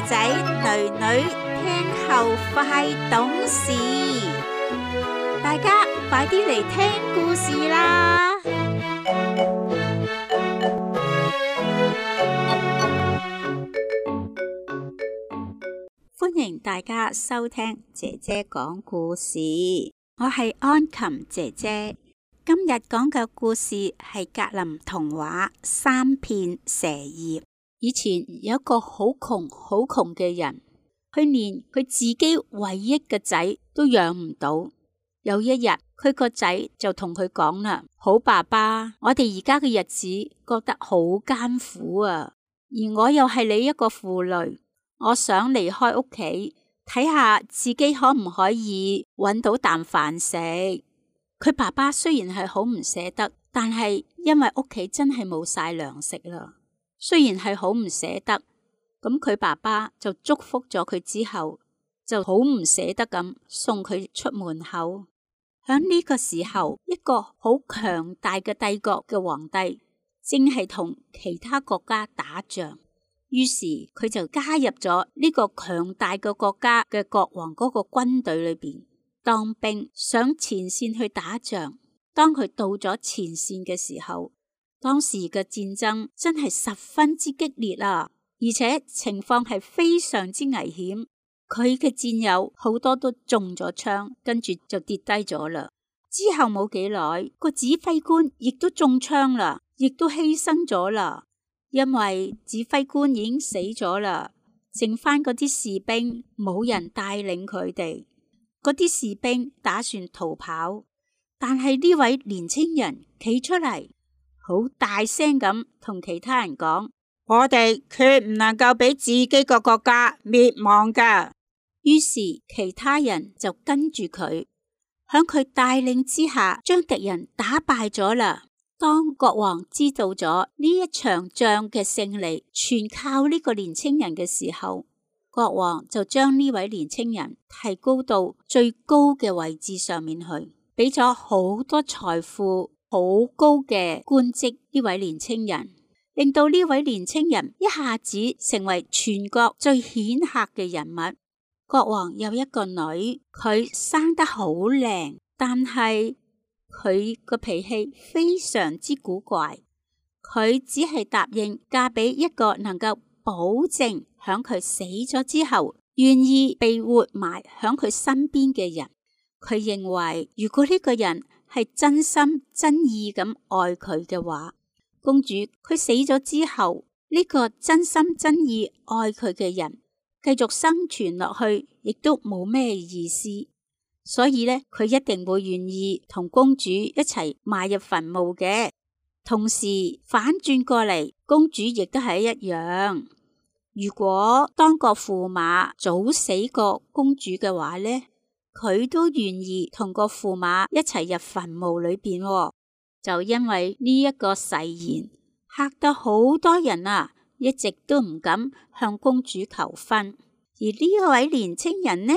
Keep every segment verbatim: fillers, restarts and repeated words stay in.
仔仔女女聽後快懂事，大家快啲嚟聽故事啦！歡迎大家收聽姐姐講故事，我係安琴姐姐。今日講嘅故事係格林童話《三片蛇葉》。以前有一個好窮好窮嘅人，佢連佢自己唯一嘅仔都養唔到。有一日，佢個仔就同佢講啦：好爸爸，我哋而家嘅日子覺得好艱苦啊，而我又係你一個婦女，我想離開屋企，睇下自己可唔可以搵到啖飯食。佢爸爸雖然係好唔捨得，但係因為屋企真係冇晒糧食啦。雖然係好唔捨得，咁佢爸爸就祝福咗佢之後，就好唔捨得咁送佢出門口。響呢個時候，一個好強大嘅帝國嘅皇帝正係同其他國家打仗，於是佢就加入咗呢個強大嘅國家嘅國王嗰個軍隊裏邊當兵，上前線去打仗。當佢到咗前線嘅時候，當時嘅戰爭真係十分之激烈啊，而且情況係非常之危險。佢嘅戰友好多都中咗槍，跟住就跌低咗啦。之後冇幾耐，個指揮官亦都中槍啦，亦都犧牲咗啦。因為指揮官已經死咗啦，剩翻嗰啲士兵冇人帶領佢哋。嗰啲士兵打算逃跑，但係呢位年青人企出嚟，好大聲咁同其他人講：我哋決唔能夠俾自己個國家滅亡噶。於是其他人就跟住佢，響佢帶領之下，將敵人打敗咗啦。當國王知道咗呢一場仗嘅勝利全靠呢個年青人嘅時候，國王就將呢位年青人提高到最高嘅位置上面去，俾咗好多財富、好高嘅官職呢位年青人，令到呢位年青人一下子成為全國最顯赫嘅人物。國王有一個女，佢生得好靚，但係佢個脾氣非常之古怪。佢只係答應嫁俾一個能夠保證響佢死咗之後願意被活埋響佢身邊嘅人。佢認為如果呢個人係真心真意咁愛佢嘅話，公主佢死咗之後，呢個真心真意愛佢嘅人繼續生存落去，亦都冇咩意思。所以呢，佢一定會願意同公主一齊埋入墳墓嘅。同時反轉過嚟，公主亦都係一樣。如果當個駙馬早死過公主嘅話呢，佢都願意同個駙馬一齊入墳墓裏邊。就因為呢一個誓言，嚇得好多人啊，一直都唔敢向公主求婚。而呢位年青人呢，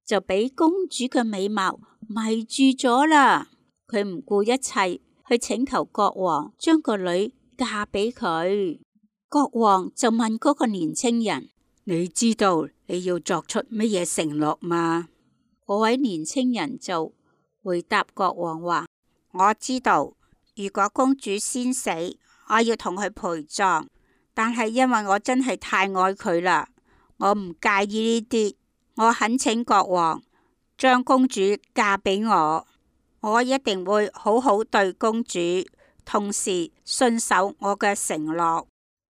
就俾公主嘅美貌迷住咗啦。佢唔顧一切去請求國王將個女嫁俾佢。國王就問嗰個年青人：你知道你要作出乜嘢承諾嗎？嗰位年青人就回答國王話：我知道，如果公主先死，我要同佢陪葬，但係因為我真係太愛佢啦，我唔介意呢啲。我懇請國王將公主嫁俾我，我一定會好好對公主，同時信守我嘅承諾。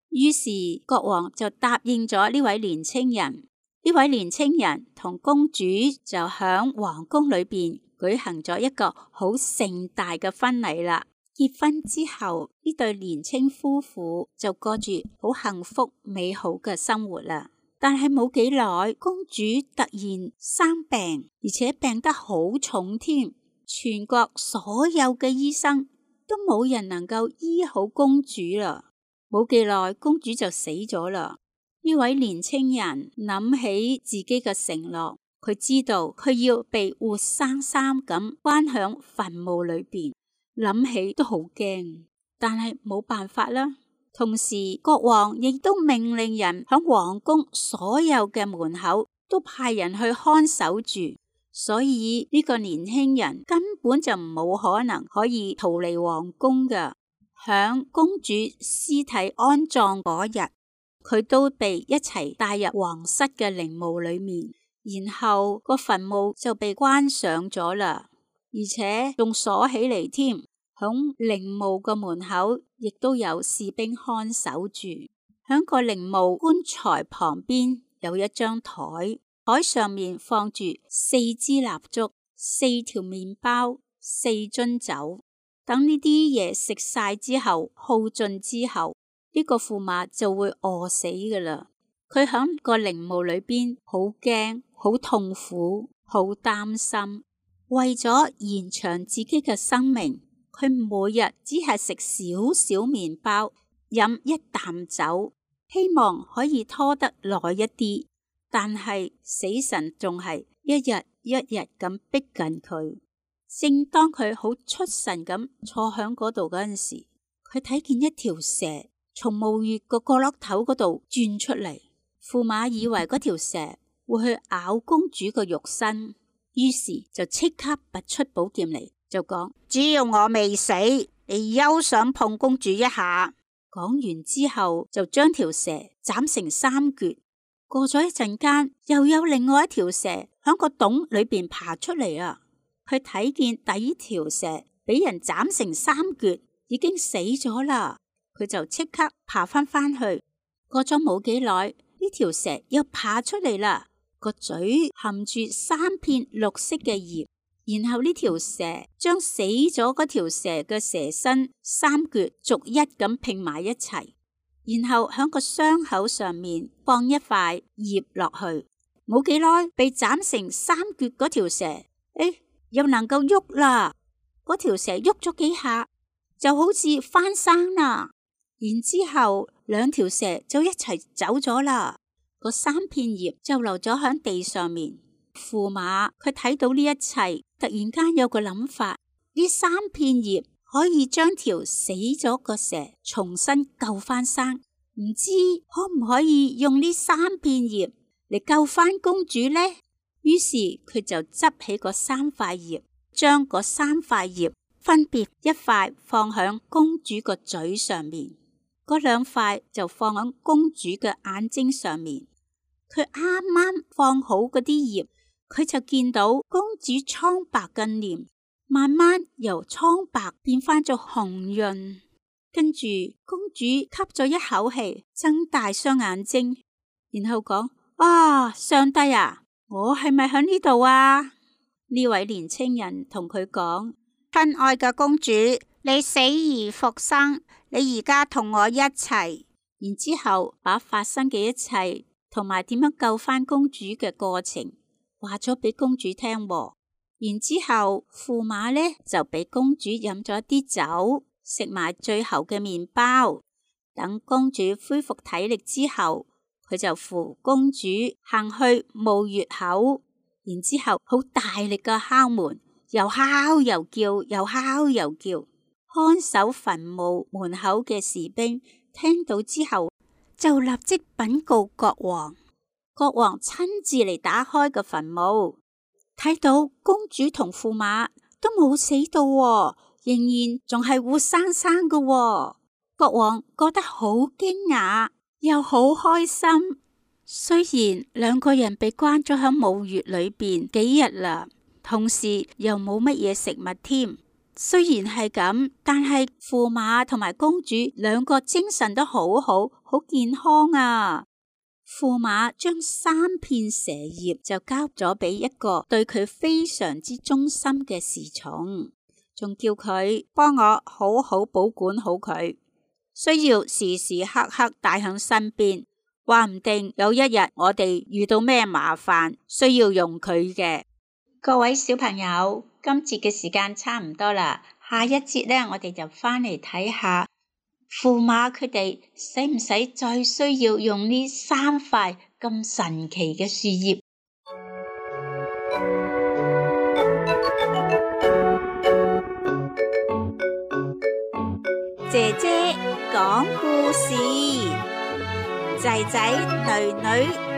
於是國王就答應咗呢位年青人。呢位年青人同公主就響皇宮裏邊舉行咗一個好盛大嘅婚禮啦。結婚之後，呢對年青夫婦就過住好幸福美好嘅生活啦。但係冇幾耐，公主突然生病，而且病得好重添。全國所有嘅醫生都冇人能夠醫好公主啦。冇幾耐，公主就死咗啦。呢位年青人諗起自己嘅承諾，佢知道佢要被活生生咁關響墳墓裏邊，諗起都好驚，但係冇辦法啦。同時國王亦都命令人響皇宮所有嘅門口都派人去看守住，所以呢個年輕人根本就冇可能可以逃離皇宮㗎。響公主屍體安葬嗰日，佢都被一齊帶入皇室嘅陵墓裏面，然後個墳墓就被關上咗啦，而且仲鎖起嚟添。響陵墓個門口亦都有士兵看守住。響個陵墓棺材旁邊有一張台，台上面放住四支蠟燭、四條麵包、四樽酒。等呢啲嘢食晒之後，耗盡之後，呢個駙馬就會餓死噶啦。佢響個陵墓裏邊好驚、好痛苦、好擔心，為咗延長自己嘅生命，佢每日只係食少少麵包，飲一啖酒，希望可以拖得耐一啲。但係死神仲係一日一日咁逼近佢。正當佢好出神咁坐響嗰度嗰陣時，佢睇見一條蛇從墓穴個角落頭嗰度鑽出嚟。駙馬以為嗰條蛇會去咬公主個肉身，於是就即刻拔出寶劍嚟，就講：只要我未死，你休想碰公主一下。講完之後，就將條蛇斬成三橛。過咗一陣間，又有另外一條蛇響個洞裏邊爬出嚟啊！佢睇見第一條蛇俾人斬成三橛，已經死咗啦。佢就即刻爬翻翻去。過咗冇幾耐，呢條蛇又爬出嚟啦，個嘴含住三片綠色嘅葉。然後呢條蛇將死咗嗰條蛇嘅蛇身三橛逐一咁拼埋一齊，然後響個傷口上面放一塊葉落去。冇幾耐，被斬成三橛嗰條蛇，誒、哎，又能夠喐啦！嗰條蛇喐咗幾下，就好似翻生啦。然之後兩條蛇就一齊走咗啦。個三片葉就留咗響地上面。駙馬佢睇到呢一切，突然間有個諗法：呢三片葉可以將條死咗個蛇重新救翻生，唔知可唔可以用呢三片葉嚟救翻公主呢？於是佢就執起嗰三塊葉，將嗰三塊葉分別一塊放響公主個嘴上面，嗰兩塊就放響公主嘅眼睛上面。佢啱啱放好嗰啲葉，佢就見到公主蒼白嘅臉慢慢由蒼白變翻咗紅潤，跟住公主吸咗一口氣，睜大雙眼睛，然後講：啊，上帝啊，我係咪喺呢度啊？呢位年青人同佢講：親愛嘅公主，你死而復生，你而家同我一齊。然之後把發生嘅一切同埋點樣救翻公主嘅過程話咗俾公主聽。然之後駙馬呢就俾公主飲咗啲酒，食埋最後嘅麵包。等公主恢復體力之後，佢就扶公主行去墓穴口，然之後好大力嘅敲門，又敲又叫，又敲又叫。看守墳墓門口嘅士兵聽到之後，就立即稟告國王。國王親自嚟打開個墳墓，睇到公主同駙馬都冇死到喎，仍然仲係活生生嘅喎。國王覺得好驚訝，又好開心。雖然兩個人被關咗喺墓穴裏邊幾日啦，同時又冇乜嘢食物添。雖然係咁，但係駙馬同埋公主兩個精神都好好，好健康啊。駙馬將三片蛇葉就交咗俾一個對佢非常之忠心嘅侍從，仲叫佢幫我好好保管好佢，需要時時刻刻帶響身邊，話唔定有一日我哋遇到咩麻煩需要用佢嘅。各位小朋友，今節嘅時間差唔多啦，下一節呢，我哋就翻嚟睇下駙馬佢哋使唔使再需要用呢三塊咁神奇嘅樹葉。姐姐講故事。仔仔女女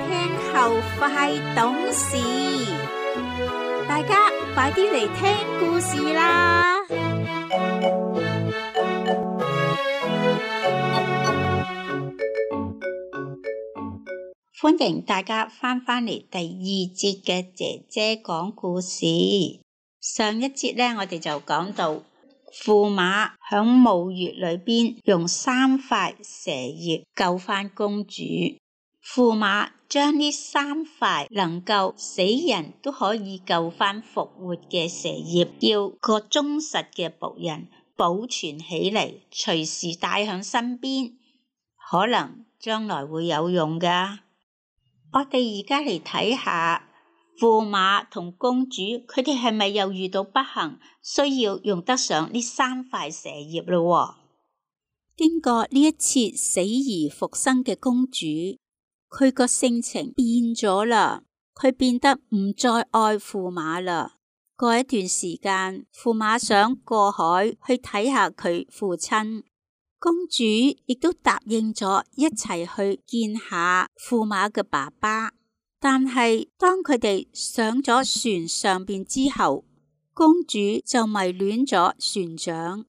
聽後快懂事，大家快啲嚟聽故事啦！歡迎大家翻返嚟第二節嘅姐姐講故事。上一節呢，我哋就講到駙馬響霧月裏邊用三塊蛇葉救翻公主。駙馬將呢三塊能夠死人都可以救翻復活嘅蛇葉，叫個忠實嘅僕人保存起嚟，隨時帶響身邊，可能將來會有用噶。我哋而家嚟睇下駙馬同公主，佢哋係咪又遇到不幸，需要用得上呢三塊蛇葉咯？經過呢一次死而復生嘅公主，佢個性情變咗啦，佢變得唔再愛駙馬啦。過一段時間，駙馬想過海去睇下佢父親。公主亦都答應咗一齊去見下駙馬嘅爸爸，但係當佢哋上咗船上邊之後，公主就迷戀咗船長，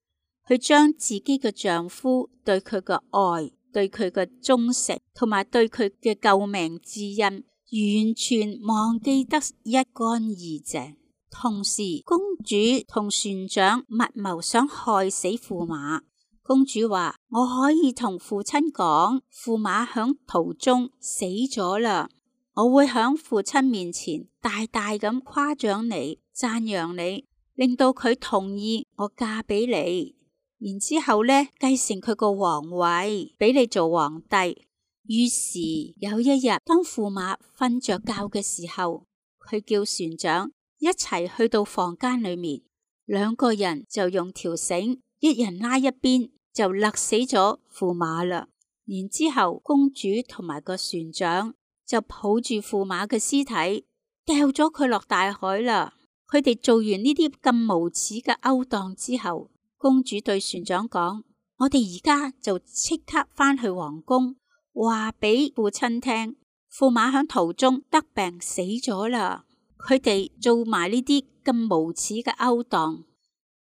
佢將自己嘅丈夫對佢嘅愛、對佢嘅忠誠同埋對佢嘅救命之恩，完全忘記得一乾二淨。同時，公主同船長密謀想害死駙馬。公主話：我可以同父親講，駙馬響途中死咗啦。我會響父親面前大大咁誇獎你、讚揚你，令到佢同意我嫁俾你。然之後呢，繼承佢個皇位，俾你做皇帝。於是有一日，當駙馬瞓着覺嘅時候，佢叫船長一齊去到房間裏面，兩個人就用條繩，一人拉一邊，就勒死咗駙馬啦。然之後，公主同埋個船長就抱住駙馬嘅屍體，掉咗佢落大海啦。佢哋做完呢啲咁無恥嘅勾當之後，公主對船長講：我哋而家就即刻返去皇宮，話俾父親聽，駙馬響途中得病死咗啦。佢哋做埋呢啲咁無恥嘅勾當。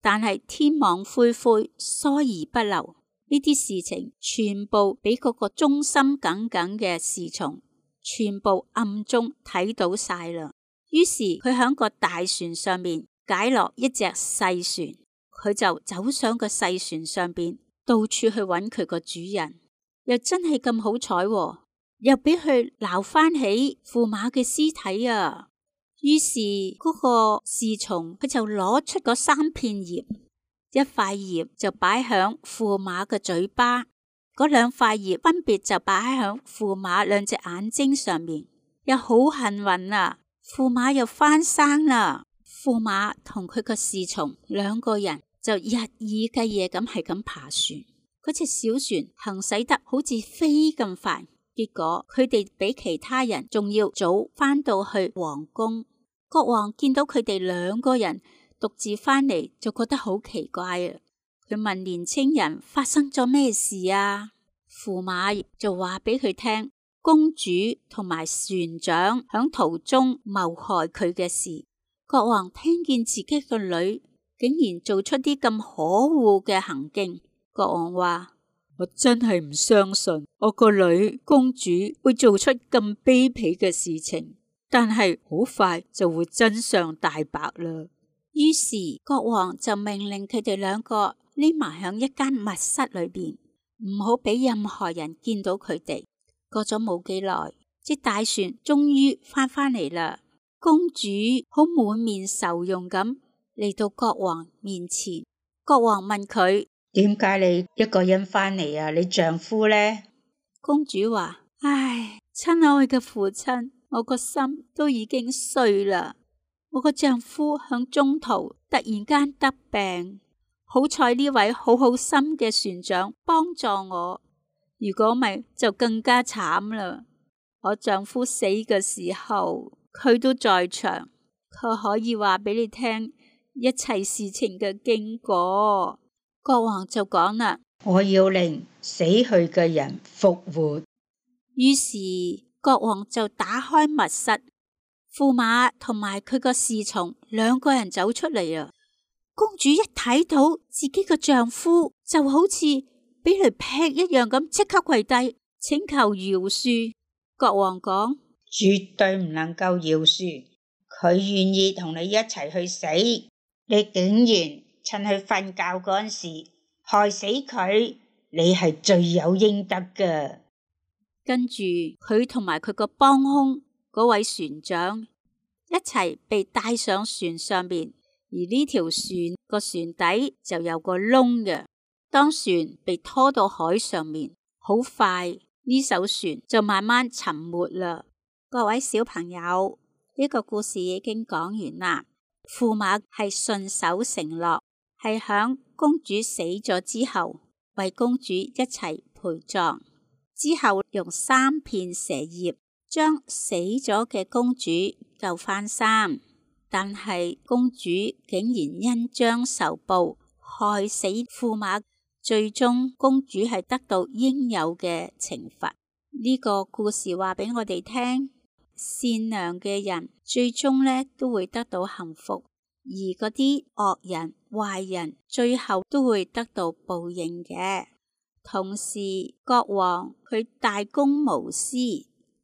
但係天網恢恢，疏而不漏，呢啲事情全部俾嗰個忠心耿耿嘅侍從全部暗中睇到晒啦。於是佢喺個大船上面解落一隻細船，佢就走上個細船上邊，到處去揾佢個主人。又真係咁好彩喎，又俾佢撈翻起駙馬嘅屍體啊！於是嗰個侍從佢就攞出嗰三片葉，一塊葉就擺響駙馬嘅嘴巴，嗰兩塊葉分別就擺響駙馬兩隻眼睛上面。又好幸運啊，駙馬又翻生啦！駙馬同佢個侍從兩個人就日以繼夜咁係咁爬船，嗰隻小船行駛得好似飛咁快。結果佢哋比其他人仲要早返到去皇宮。國王見到佢哋兩個人獨自返嚟，就覺得好奇怪啊！佢問年青人發生咗咩事啊？駙馬就話俾佢聽，公主同埋船長響途中謀害佢嘅事。國王聽見自己個女竟然做出啲咁可惡嘅行徑，國王話：我真係唔相信我個女公主會做出咁卑鄙嘅事情，但係好快就會真相大白啦。於是國王就命令佢哋兩個匿埋響一間密室裏邊，唔好俾任何人見到佢哋。過咗冇幾耐，隻大船終於翻返嚟啦。公主好滿面愁容咁嚟到國王面前，國王問佢：點解你一個人返嚟啊？你丈夫呢？公主話：唉，親愛嘅父親，我個心都已經碎啦。我個丈夫響中途突然間得病，好彩呢位好好心嘅船長幫助我，如果唔係就更加慘啦。我丈夫死嘅時候，佢都在場，佢可以話俾你聽一切事情嘅經過。國王就講啦：我要令死去嘅人復活。於是國王就打開密室，駙馬同埋佢個侍從兩個人走出嚟啊！公主一睇到自己嘅丈夫，就好似俾雷劈一樣咁，即刻跪低請求饒恕。國王講：絕對唔能夠饒恕，佢願意同你一齊去死，你竟然趁佢瞓覺嗰陣時害死佢，你係罪有應得㗎。跟住佢同埋佢個幫兇嗰位船長一齊被帶上船上面，而呢條船個船底就有個窿嘅。當船被拖到海上面，好快呢艘船就慢慢沉沒啦。各位小朋友，呢個故事已經講完啦。駙馬係信守承諾，係響公主死咗之後為公主一齊陪葬，之後用三片蛇葉將死咗嘅公主救返生。但係公主竟然因將仇報害死駙馬，最終公主係得到應有嘅懲罰。呢個故事話俾我哋聽，善良嘅人最終呢都會得到幸福，而嗰啲惡人壞人最後都會得到報應嘅。同時國王佢大公無私，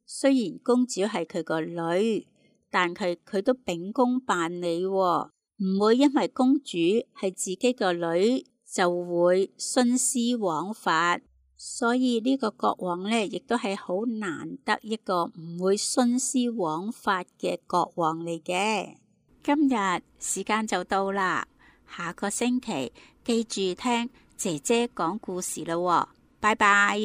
雖然公主係佢個女，但佢佢都秉公辦理，唔會因為公主係自己個女就會徇私枉法。所以呢個國王呢，亦都係好難得一個唔會徇私枉法嘅國王嚟嘅。今日時間就到啦，下個星期記住聽姐姐講故事啦喎，拜拜。